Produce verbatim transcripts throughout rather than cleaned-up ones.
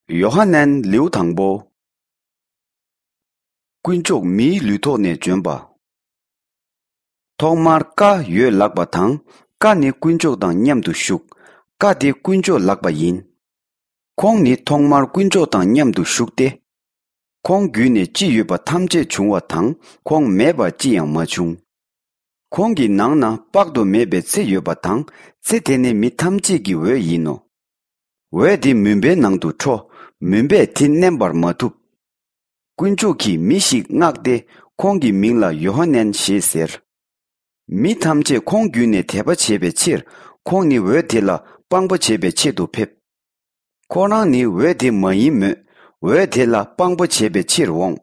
ཡོ་ཧ་ནན་ལེའུ་དང་པོ། དཀོན་མཆོག་མིའི་ལུས་ཐོག་ནས་བྱོན་པ། ཐོག་མར་ཀ་ཡོད་ལགས་པ་དང་། ཀ་ནི་དཀོན་མཆོག་དང་མཉམ་དུ་བཞུགས། ཀ་དེ་དཀོན་མཆོག་ལགས་པ་ཡིན། ཁོང་ནི་ཐོག་མར་དཀོན་མཆོག་དང་མཉམ་དུ་བཞུགས་ཏེ། ཁོང་བརྒྱུད་ནས་ཅི་ཡོད་པ་ཐམས་ཅད་བྱུང་བ་དང་། ཁོང་མེད་པར་ཅི་ཡང་མ་བྱུང་། ཁོང་གི་ནང་ན་དཔག་ཏུ་མེད་པའི་ཚེ་ཡོད་པ་དང་། ཚེ་དེ་ནི་མི་ཐམས་ཅད་ཀྱི་འོད་ཡིན་ནོ། འོད་དེ་མུན་པའི་ནང་དུ་འཕྲོ། མུན་པས་དེ་མནན་པར་མ་ཐུབ། དཀོན་མཆོག་གིས་མི་ཞིག་མངགས་ཏེ། ཁོང་གི་མིང་ལ་ཡོ་ཧ་ནན་ཞེས་ཟེར། མི་ཐམས་ཅད་ཁོང་བརྒྱུད་ནས་དད་པ་བྱེད་པའི་ཕྱིར། ཁོང་ནི་འོད་དེ་ལ་དཔང་པོ་བྱེད་པའི་ཆེད་དུ་ཕེབས། ཁོ་རང་ནི་འོད་དེ་མ་ཡིན་མོད། འོད་དེ་ལ་དཔང་པོ་བྱེད་པའི་ཕྱིར་འོངས།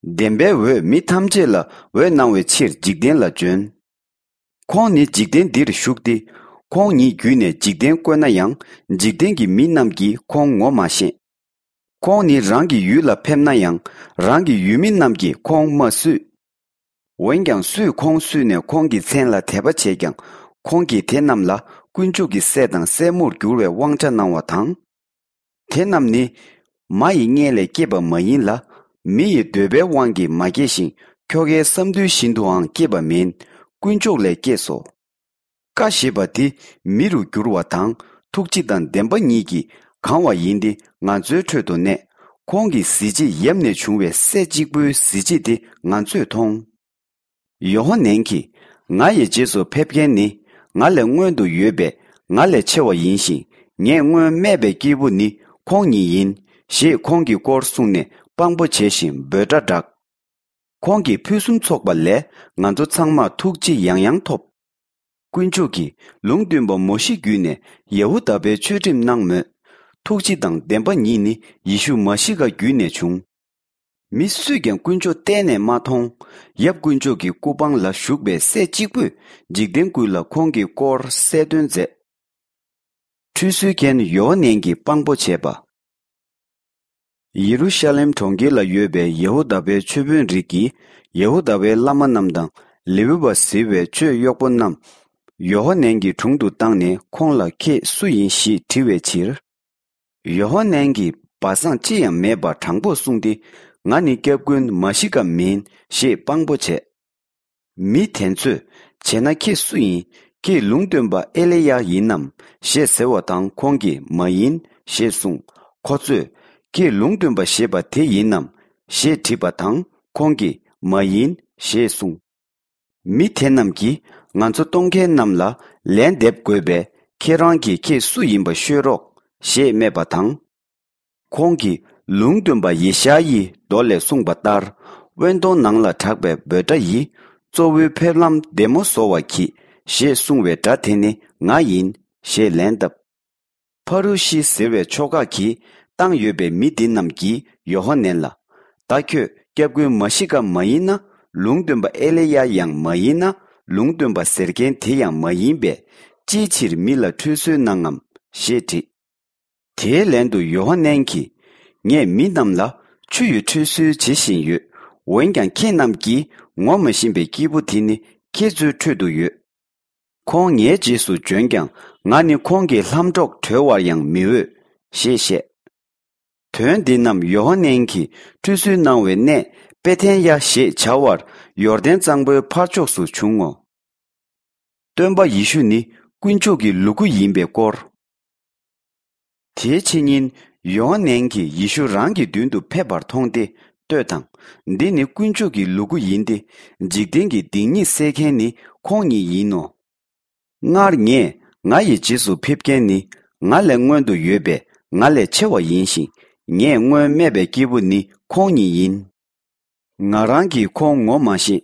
བདེན་པའི་འོད་མི་ཐམས་ཅད་ལ་འོད་སྣང་བའི་ཕྱིར་འཇིག་རྟེན་ལ་བྱོན། ཁོང་ནི་འཇིག་རྟེན་འདིར་བཞུགས་ཏེ། ཁོང་ཉིད་བརྒྱུད་ནས་འཇིག་རྟེན་བཀོད་ན་ཡང་། འཇིག་རྟེན་གྱི་མི་རྣམས་ཀྱིས་ཁོང་ངོ་མ་ཤེས། ཁོང་ནི་རང་གི་ཡུལ་ལ་ཕེབས་ན་ཡང་། རང་གི་ཡུལ་མི་རྣམས་ཀྱིས་ཁོང་མ་བསུས། འོན་ཀྱང་སུས་ཁོང་བསུས་ནས་ཁོང་གི་མཚན་ལ་དད་པ་བྱས་ཀྱང་། ཁོང་གིས་དེ་རྣམས་ལ་དཀོན་མཆོག་གི་སྲས་དང་སྲས་མོར་འགྱུར་བའི་དབང་ཆ་གནང་བ་དང་། དེ་རྣམས་ནི་མ་ཡི་མངལ་ལས་སྐྱེས་པ་མ་ཡིན་ལ། མི་ཡི་འདོད་པའི་དབང་གིས་མ་སྐྱེས་ཤིང་། ཁྱོ་གའི་བསམ་འདུན་བཞིན་དུའང་སྐྱེས་པ་མིན། དཀོན་མཆོག་ལས་སྐྱེས་སོ། ཀ་ཞེས་པ་དེ་མི་རུ་འགྱུར་བ་དང་། ཐུགས་རྗེ་དང་བདེན་པ་ཉིད་ཀྱིས་གང་བ་ཡིན་ཏེ། ང་ཚོའི་ཁྲོད་དུ་གནས། ཁོང་གི་གཟི་བརྗིད་ཡབ་ནས་བྱུང་བའི་སྲས་གཅིག་པུའི་གཟི་བརྗིད་དེ་ང་ཚོས་མཐོང་། ཡོ་ཧ་ནན་གྱིས། ང་ཡི་རྗེས་སུ་ཕེབས་མཁན་ནི། ང་ལས་སྔོན་དུ་ཡོད་པས་ང་ལས་ཆེ་བ་ཡིན་ཞིང་། ངས་སྔོན་སྨྲས་པའི་སྐྱེས་བུ་ནི་ཁོང་ཉིད་ཡིན། ཞེས་ཁོང་གི་སྐོར་གསུངས་ནས་དཔང་པོ་བྱས་ཤིང་འབོད་སྒྲ་བསྒྲགས། ཁོང་གིས་ཕུན་སུམ་ཚོགས་པ་ལས། ང་ཚོ་ཚང་མར་ཐུགས་རྗེ་ཡང་ཡང་ཐོབ། དཀོན་མཆོག་གིས་ལུང་སྟོན་པ་མོ་ཤེ་བརྒྱུད་ནས་ཡ་ཧུ་དཱ་པའི་ཆོས་ཁྲིམས་གནང་མོད། ཐུགས་རྗེ་དང་བདེན་པ་ཉིད་ནི་ཡེ་ཤུ་མ་ཤི་ཀ་བརྒྱུད་ནས་བྱུང་། མི་སུས་ཀྱང་དཀོན་མཆོག་གཏན་ནས་མ་མཐོང་། ཡབ་དཀོན་མཆོག་གི་སྐུ་པང་ལ་བཞུགས་པའི་སྲས་གཅིག་པུས་འཇིག་རྟེན་ཀུན་ལ་ཁོང་གི་སྐོར་གསལ་སྟོན་མཛད། ཁྲུས་གསོལ་མཁན་ཡོ་ཧ་ནན་གྱིས་དཔང་པོ་བྱས་པ། ཡེ་རུ་ཤ་ལེམ་གྲོང་ཁྱེར་ལ་ཡོད་པའི་ཡ་ཧུ་དཱ་པའི་མཆོད་དཔོན་རིགས་ཀྱིས་ཡ་ཧུ་དཱ་པའི་བླ་མ་རྣམས་དང་། ལེ་ཝི་པ་ཟེར་བའི་ཆོས་གཡོག་པོ་རྣམས་ཡོ་ཧ་ནན་གྱི་དྲུང་དུ་བཏང་ནས། ཁོང་ལ་ཁྱེད་སུ་ཡིན་ཞེས་དྲི་བའི་ཕྱིར། ཡོ་ཧ་ནན་གྱིས་སྦ་གསང་ཅི་ཡང་མེད་པར་དྲང་པོར་གསུངས་ཏེ། ང་ནི་སྐྱབས་མགོན་མ་ཤི་ཀ་མིན་ཞེས་དཔང་པོ་བྱས། མི་དེ་ཚོས། བྱས་ན་ཁྱེད་སུ་ཡིན། ཁྱེད་ལུང་སྟོན་པ་ཨེ་ལི་ཡ་ཡིན་ནམ་ཞེས་ཟེར་བ་དང་། ཁོང་གིས་མ་ཡིན་ཞེས་གསུངས། ཁོ་ཚོས། ཁྱེད་ལུང་སྟོན་པ་ཞེས་པ་དེ་ཡིན་ནམ་ཞེས་དྲིས་པ་དང་། ཁོང་གིས་མ་ཡིན་ཞེས་གསུངས། མི་དེ་རྣམས་ཀྱིས། ང་ཚོ་གཏོང་མཁན་རྣམས་ལ་ལན་འདེབས་དགོས་པས། ཁྱེད་རང་གིས་ཁྱེད་སུ་ཡིན་པ་ཤོད་རོགས་ཞེས་སྨྲས་པ་དང་། ཁོང་གིས་ལུང་སྟོན་པ་ཡེ་ཤ་ཡིའི་མདོ་ལས་གསུངས་པ་ལྟར། དབེན་སྟོང་ནང་ལ་གྲགས་པའི་འབོད་སྒྲ་ཡིས། གཙོ་བོའི་ཕེབས་ལམ་བདེ་མོ་བཟོ་བར་གྱིས། ཞེས་གསུངས་པའི་སྒྲ་དེ་ནི་ང་ཡིན་ཞེས་ལན་བཏབ། ཕ་རུ་ཤི་ཟེར་བའི་ཕྱོགས་ཁག་གིས་བཏང་ཡོད་པའི་མི་འདི་རྣམས་ཀྱིས་ཡོ་ཧ་ནན་ལ། ད་ཁྱོད་སྐྱབས་མགོན་མ་ཤི་ཀ་མ་ཡིན་ན། ལུང་སྟོན་པ་ཨེ་ལི་ཡ་ཡང་མ་ཡིན་ན། ལུང་སྟོན་པ་ཟེར་མཁན་དེ་ཡང་མ་ཡིན་པས། ཅིའི་ཕྱིར་མི་ལ་ཁྲུས་གསོལ་གནང་ངམ་ཞེས་དྲིས། དེའི་ལན་དུ་ཡོ་ཧ་ནན་གྱིས། ངས་མི་རྣམས་ལ་ཆུ་ཡི་ཁྲུས་གསོལ་བྱེད་བཞིན་ཡོད། འོན་ཀྱང་ཁྱེད་རྣམས་ཀྱིས་ངོ་མ་ཤེས་པའི་སྐྱེས་བུ་དེ་ནི་ཁྱེད་ཚོའི་ཁྲོད་དུ་ཡོད། ཁོང་ངའི་རྗེས་སུ་འབྱོན་ཀྱང་། ང་ནི་ཁོང་གི་ལྷམ་སྒྲོག་གྲོལ་བར་ཡང་མི་འོས། ཞེས་བཤད། དོན་འདི་རྣམས་ཡོ་ཧ་ནན་གྱིས་ཁྲུས་གསོལ་གནང་བའི་གནས་པེ་ཐན་ཡ་ཞེས་བྱ་བར་ཡོར་དན་གཙང་པོའི་ཕར་ཕྱོགས་སུ་བྱུང་ངོ་། སྟོན་པ་ཡེ་ཤུ་ནི་དཀོན་མཆོག་གི་ལུ་གུ་ཡིན་པའི་སྐོར། དེའི་ཕྱི་ཉིན་ཡོ་ཧ་ནན་གྱིས་ཡེ་ཤུ་རང་གི་མདུན་དུ་ཕེབས་པར་མཐོང་སྟེ། ལྟོས་དང་། འདི་ནི་དཀོན་མཆོག་གི་ལུ་གུ་ཡིན་ཏེ། འཇིག་རྟེན་གྱི་སྡིག་ཉེས་སེལ་མཁན་ནི་ཁོང་ཉིད་ཡིན་ནོ། སྔར་ངས། ང་ཡི་རྗེས་སུ་ཕེབས་མཁན་ནི་ང་ལས་སྔོན་དུ་ཡོད་པས་ང་ལས་ཆེ་བ་ཡིན་ཞིང་། ངས་སྔོན་སྨྲས་པའི་སྐྱེས་བུ་ནི་ཁོང་ཉིད་ཡིན། ང་རང་གིས་ཁོང་ངོ་མ་ཤེས།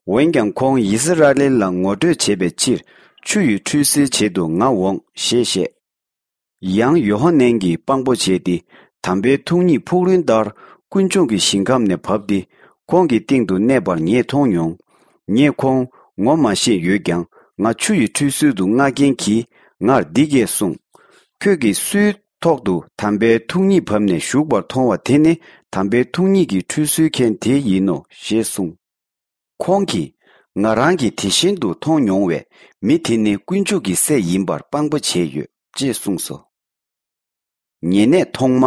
འོན་ཀྱང་ཁོང་ཡི་སི་ར་ཨེལ་ལ་ངོ་སྤྲོད་བྱེད་པའི་ཕྱིར་ཆུ་ཡི་ཁྲུས་གསོལ་བྱེད་དུ་ང་འོངས་ཞེས་བཤད། ཡང་ཡོ་ཧ་ནན་གྱིས་དཔང་པོ་བྱས་ཏེ། དམ་པའི་ཐུགས་ཉིད་ཕུག་རོན་ལྟར་དཀོན་མཆོག་གི་ཞིང་ཁམས་ནས་བབས་ཏེ། ཁོང་གི་སྟེང་དུ་གནས་པར་ངས་མཐོང་མྱོང་། ངས་ཁོང་ངོ་མ་ཤེས་ཡོད་ཀྱང་། ང་ཆུ་ཡི་ཁྲུས་གསོལ་དུ་མངགས་མཁན་གྱིས་ངར་འདི་སྐད་གསུངས། ཁྱོད་ཀྱིས་སུའི་ཐོག་ཏུ་དམ་པའི་ཐུགས་ཉིད་བབས་ནས་བཞུགས་པར་མཐོང་བ་དེ་ནི་དམ་པའི་ཐུགས་ཉིད་ཀྱི་ཁྲུས་གསོལ་མཁན་དེ་ཡིན་ནོ་ཞེས་གསུངས། ཁོང་གིས། ང་རང་གིས་དེ་བཞིན་དུ་མཐོང་མྱོང་བས། མི་དེ་ནི་དཀོན་མཆོག་གི་སྲས་ཡིན་པར་དཔང་པོ་བྱས་ཡོད་ཅེས་གསུངས་སོ། ཉེ་གནས་ཐོག་མ།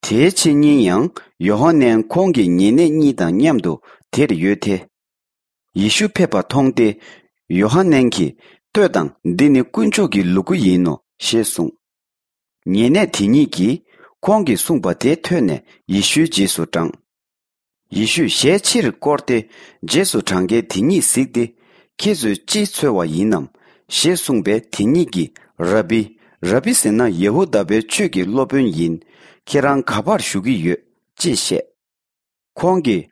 དེའི་ཕྱི་ཉིན་ཡང་ཡོ་ཧ་ནན་ཁོང་གི་ཉེ་གནས་གཉིས་དང་མཉམ་དུ་དེར་ཡོད་དེ། ཡེ་ཤུ་ཕེབས་པ་མཐོང་སྟེ། ཡོ་ཧ་ནན་གྱིས། ལྟོས་དང་། འདི་ནི་དཀོན་མཆོག་གི་ལུ་གུ་ཡིན་ནོ། ཞེས་གསུངས། ཉེ་གནས་དེ་གཉིས་ཀྱིས་ཁོང་གིས་གསུངས་པ་དེ་ཐོས་ནས་ཡེ་ཤུའི་རྗེས་སུ་འབྲངས། ཡེ་ཤུས་ཞལ་ཕྱིར་བསྐོར་ཏེ། རྗེས་སུ་འབྲང་མཁན་དེ་གཉིས་གཟིགས་ཏེ། ཁྱེད་ཚོས་ཅི་འཚོལ་བ་ཡིན་ནམ། ཞེས་གསུངས་པས། དེ་གཉིས་ཀྱིས། ར་བི། ར་བི་ཟེར་ན་ཡ་ཧུ་དཱ་པའི་ཆོས་ཀྱི་སློབ་དཔོན་ཡིན། ཁྱེད་རང་ག་པར་བཞུགས་ཀྱི་ཡོད། ཅེས་བཤད། ཁོང་གིས།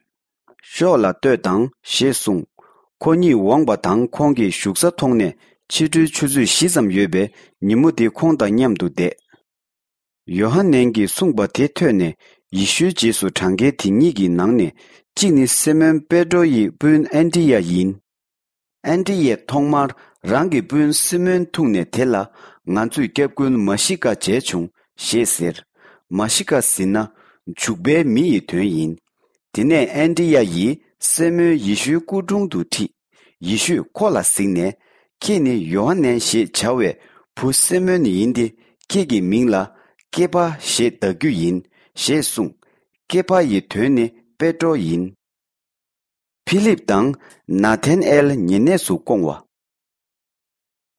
ཤོག་ལ་ལྟོས་དང་། ཞེས་གསུངས། ཁོ་གཉིས་འོངས་པ་དང་ཁོང་གི་བཞུགས་ས་མཐོང་ནས། ཕྱི་དྲོའི་ཆུ་ཚོད་བཞི་ཙམ་ཡོད་པའི་ཉིན་མོ་དེ་ཁོང་དང་མཉམ་དུ་བསྡད། ཡོ་ཧ་ནན་གྱིས་གསུངས་པ་དེ་ཐོས་ནས། ཡེ་ཤུའི་རྗེས་སུ་འབྲང་མཁན་དེ་གཉིས་ཀྱི་ནང་ནས་གཅིག་ནི་སི་མོན་པེ་ཏྲོ་ཡི་སྤུན་ཨན་དྲི་ཡ་ཡིན། ཨན་དྲི་ཡས་ཐོག་མར་རང་གི་སྤུན་སི་མོན་ཐུག་ནས་དེ་ལ། ང་ཚོས་སྐྱབས་མགོན་མ་ཤི་ཀ་མཇལ་བྱུང་། ཞེས་ཟེར། མ་ཤི་ཀ་ཟེར་ན། བྱུག་པའི་མི་ཡི་དོན་ཡིན། དེ་ནས་ཨན་དྲི་ཡ་ཡིས་སི་མོན་ཡེ་ཤུའི་སྐུ་དྲུང་དུ་ཁྲིད། ཡེ་ཤུས་ཁོ་ལ་གཟིགས་ནས། ཁྱེད་ནི་ཡོ་ཧ་ནན་ཞེས་བྱ་བའི་བུ་སི་མོན་ཡིན་ཏེ། ཁྱེད་ཀྱི་མིང་ལ་ཀེ་ཕ་ཞེས་གདགས་རྒྱུ་ཡིན། ཞེས་གསུངས། ཀེ་ཕ་ཡི་དོན་ནི་པེ་ཏྲོ་ཡིན། ཕི་ལིབ་དང་ནཱ་ཐན་ཨེལ་ཉེ་གནས་སུ་བསྐོང་བ།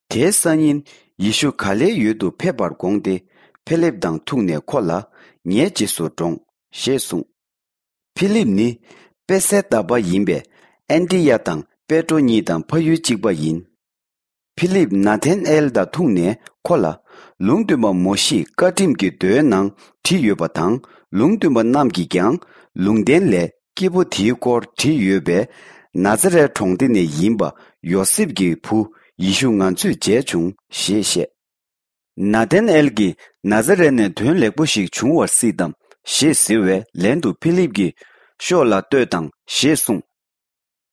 དེའི་སང་ཉིན་ཡེ་ཤུ་ག་ལེའི་ཡུལ་དུ་ཕེབས་པར་དགོངས་ཏེ། ཕི་ལིབ་དང་ཐུག་ནས་ཁོ་ལ། ངའི་རྗེས་སུ་འབྲོངས། ཞེས་གསུངས། ཕི་ལིབ་ནི་པེ་སེ་ད་པ་ཡིན་པས། ཨན་དྲི་ཡ་དང་པེ་ཏྲོ་གཉིས་དང་ཕ་ཡུལ་གཅིག་པ་ཡིན། ཕི་ལིབ་ནཱ་ཐན་ཨེལ་དང་ཐུག་ནས་ཁོ་ལ། ལུང་སྟོན་པ་མོ་ཤེས་བཀའ་ཁྲིམས་ཀྱི་མདོའི་ནང་བྲིས་ཡོད་པ་དང་། ལུང་སྟོན་པ་རྣམས་ཀྱིས་ཀྱང་ལུང་བསྟན་ལས། སྐྱེས་བུ་དེའི་སྐོར་བྲིས་ཡོད་པས། ནཱ་ཛ་རའི་གྲོང་སྡེ་ནས་ཡིན་པ་ཡོ་སེབ་ཀྱི་བུ་ཡེ་ཤུ་ང་ཚོས་མཇལ་བྱུང་། ཞེས་བཤད། ནཱ་ཐན་ཨེལ་གྱིས། ནཱ་ཛ་རའི་ནས་དོན་ལེགས་པོ་ཞིག་འབྱུང་བར་སྲིད་དམ། ཞེས་ཟེར་བའི་ལན་དུ་ཕི་ལིབ་ཀྱིས། ཤོག་ལ་ལྟོས་དང་། ཞེས་གསུངས།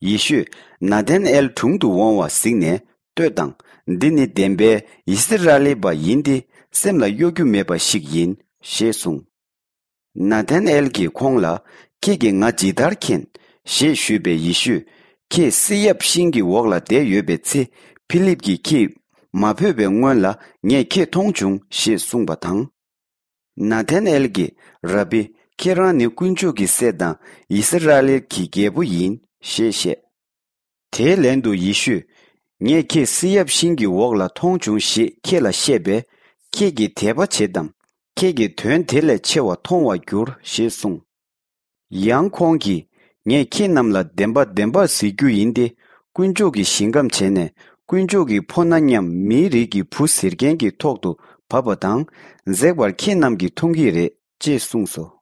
ཡེ་ཤུས་ནཱ་ཐན་ཨེལ་དྲུང་དུ་འོང་བ་གཟིགས་ནས། ལྟོས་དང་། འདི་ནི་བདེན་པའི་ཡི་སི་ར་ཨེལ་པ་ཡིན་ཏེ། སེམས་ལ་གཡོ་སྒྱུ་མེད་པ་ཞིག་ཡིན། ཞེས་གསུངས། ནཱ་ཐན་ཨེལ་གྱིས་ཁོང་ལ། ཁྱེད་ཀྱིས་ང་ཇི་ལྟར་མཁྱེན། ཞེས་ཞུས་པས། ཡེ་ཤུས། ཁྱེད་བསིལ་ཡབ་ཤིང་གི་འོག་ལ་བསྡད་ཡོད་པའི་ཚེ། ཕི་ལིབ་ཀྱིས་ཁྱེད་མ་བོས་པའི་སྔོན་ལ་ངས་ཁྱེད་མཐོང་བྱུང་། ཞེས་གསུངས་པ་དང་། ནཱ་ཐན་ཨེལ་གྱིས། ར་བི། ཁྱེད་རང་ནི་དཀོན་མཆོག་གི་སྲས་དང་ཡི་སི་ར་ཨེལ་གྱི་རྒྱལ་པོ་ཡིན། ཞེས་བཤད། དེའི་ལན་དུ་ཡེ་ཤུས། ངས་ཁྱེད་བསིལ་ཡབ་ཤིང་གི་འོག་ལ་མཐོང་བྱུང་ཞེས་ཁྱེད་ལ་བཤད་པས། ཁྱེད་ཀྱིས་དད་པ་བྱེད་དམ། ཁྱེད་ཀྱིས་དོན་དེ་ལས་ཆེ་བ་མཐོང་བར་འགྱུར། ཞེས་གསུངས། ཡང་ཁོང་གིས། ངས་ཁྱེད་རྣམས་ལ་བདེན་པ་བདེན་པར་ཟེར་རྒྱུ་ཡིན་ཏེ། དཀོན་མཆོག་གི་ཞིང་ཁམས་བྱས་ནས། དཀོན་མཆོག་གི་ཕོ་ཉ་མཉམ་མིའི་རིགས་ཀྱི་བུ་ཟེར་མཁན་གྱི་ཐོག་ཏུ་བབས་པ་དང་། འཛེགས་པར་ཁྱེད་རྣམས་ཀྱིས་མཐོང་གི་རེད། ཅེས་གསུངས་སོ།